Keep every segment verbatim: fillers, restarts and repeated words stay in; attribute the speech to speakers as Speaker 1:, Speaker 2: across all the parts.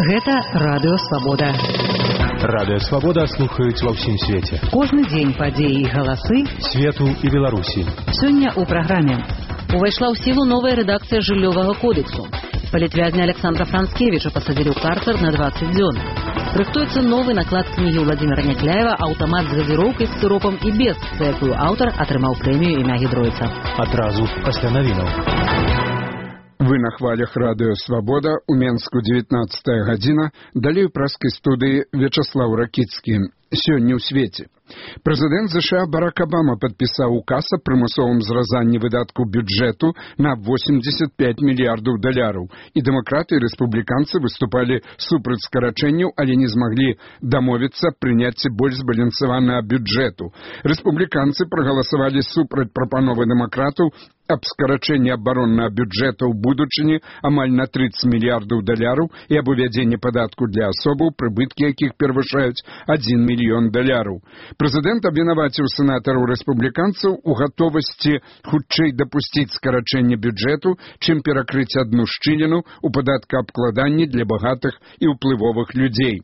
Speaker 1: Гэта Радыё Свабода.
Speaker 2: Радыё Свабода слухаюць ва ўсім свеце.
Speaker 1: Кожны дзень падзеі і галасы
Speaker 2: свету і Беларусі.
Speaker 1: Сёння ў праграме. Увайшла ў сілу новая рэдакцыя жыллёвага кодексу. Палітвязня Александра Францкевіча пасадзілі ў карцер на дваццаць дзён. Рыхтуецца новы наклад кнігі Владимира Някляева «Аўтамат з газіроўкай з сыропам і без», за якую аўтар атрымаў прэмію імя Гідройца.
Speaker 2: Адразу пасля навінаў.
Speaker 3: Вы на хвалях Радыё Свабода, у Менску дзевятнаццатая гадзіна, далей у праскай студыі Вячаслаў Ракіцкі. Сёння ў свеце. Прэзідэнт ЗША Барак Абама падпісаў указ о прымусовым зразанні выдаткаў бюджэту на восемьдесят пять мільярдаў даляраў. І дэмакраты і рэспубліканцы выступалі супраць скарачэнняў, але не змаглі дамовіцца аб прыняцці больш збалансаванага бюджэту. Рэспубліканцы прагаласавалі супраць прапановы дэмакратаў аб скарачэнні абароннага бюджэта ў будучыні амаль на тридцать мільярдаў даляраў і аб увядзенні падатку для асобаў, прыбыткі якіх перавышаюць один мільён даляраў. Прэзідэнт абвінаваціў сенатараў рэспубліканцаў у гатовасці хутчэй дапусціць скарачэнне бюджэту, чым перакрыць адну шчыліну ў падаткаабкладанні для багатых і ўплывовых людзей.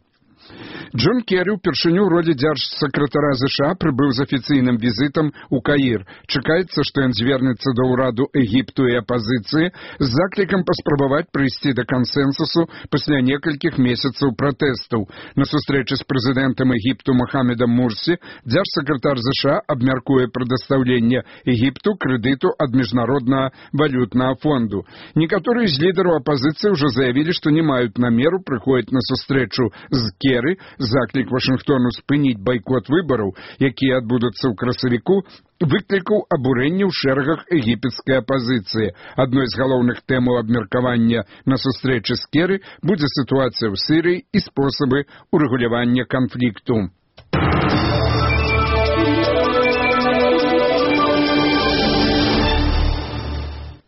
Speaker 3: Джон Керрі ўпершыню ў родзе дзяржсакратара ЗША прыбыў з афіцыйным візітам у Каір. Чакаецца, што ён звернецца да ўраду Егіпту і апазіцыі з заклікам паспрабаваць прыйсці да кансэнсусу пасля некалькіх месяцаў пратэстаў. На сустрэчы з прэзідэнтам Егіпту Мохамедам Мурсі дзяржсакратар ЗША абмяркуе прадастаўленне Егіпту крэдыту ад міжнароднага валютнага фонду. Некаторыя з лідараў апазіцыі ўжо заявілі, што не маюць намеру прыходзіць на сустрэчу з Керрі. Заклік Вашынгтону спыніць байкот выбараў, якія адбудуцца ў красавіку, выклікаў абурэнне ў шэрагах егіпецкай апазіцыі. Адной з галоўных тэмаў абмеркавання на сустрэчы з Керрі будзе сітуацыя ў Сірыі і спосабы урэгулявання канфлікту.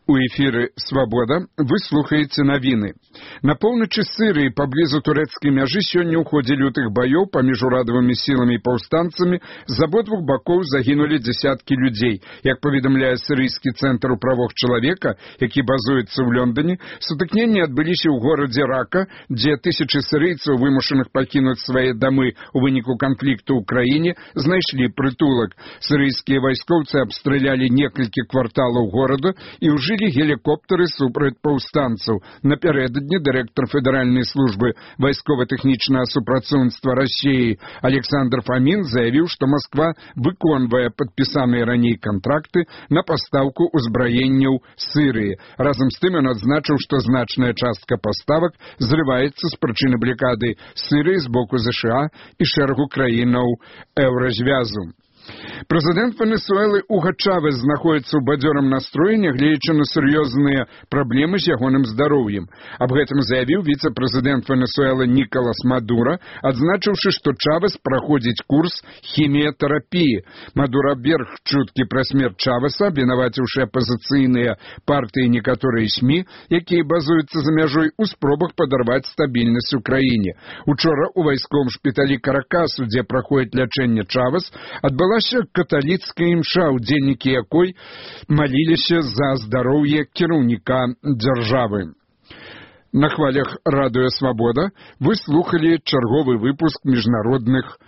Speaker 3: У эфіры «Свабода» вы слухаеце навіны. На поўначы Сырыі паблізу турэцкай мяжы сёння ў ходзе лютых баёў паміж урадавымі сіламі і паўстанцамі з абодвух бакоў загінулі дзясяткі людзей. Як паведамляе сірыйскі цэнтр у правах чалавека, які базуецца ў Лондоне, сутыкненні адбыліся ў горадзе Рака, дзе тысячы сірыйцаў, вымушаных пакінуць свае дамы ў выніку канфлікту ў краіне, знайшлі прытулак. Сірыйскія вайскоўцы абстралялі некалькі кварталаў горада і ўжылі гелікоптары супраць паўстанцаў. Напярэдадні дырэктар федэральнай службы вайскова-тэхнічнага супрацоўніцтва Расіі Александр Фамін заявіў, што Масква выконвае падпісаныя раней кантракты на пастаўку ўзбраенняў Сырыі. Разам з тым ён адзначыў, што значная частка паставак зрываецца з прычыны блакады Сырыі з боку ЗША і шэрагу краінаў еўразвязу. Прэзідэнт Венесуэлы Уго Чавес знаходіцца ў бадзёрым настроі, нягледзячы на сур'ёзныя праблемы з ягоным здароўем. Аб гэтым заявіў віцэ-прэзідэнт Венесуэлы Нікалас Мадура, адзначыўшы, што Чавес праходзіць курс хіміятэрапіі. Мадура абверг чуткі пра смерць Чавеса, абвінаваціўшы апазіцыйныя партыі і некаторыя СМІ, якія базуюцца за мяжой у спробах падарваць стабільнасць у краіне. Учора ў вайсковым шпіталі Каракасу, дзе праходзіць лячэнне Чавес, адбыла каталіцкая імша, удзельнікі якой маліліся за здароўе кіраўніка дзяржавы. На хвалях Радыё Свабода вы слухалі чарговы выпуск міжнародных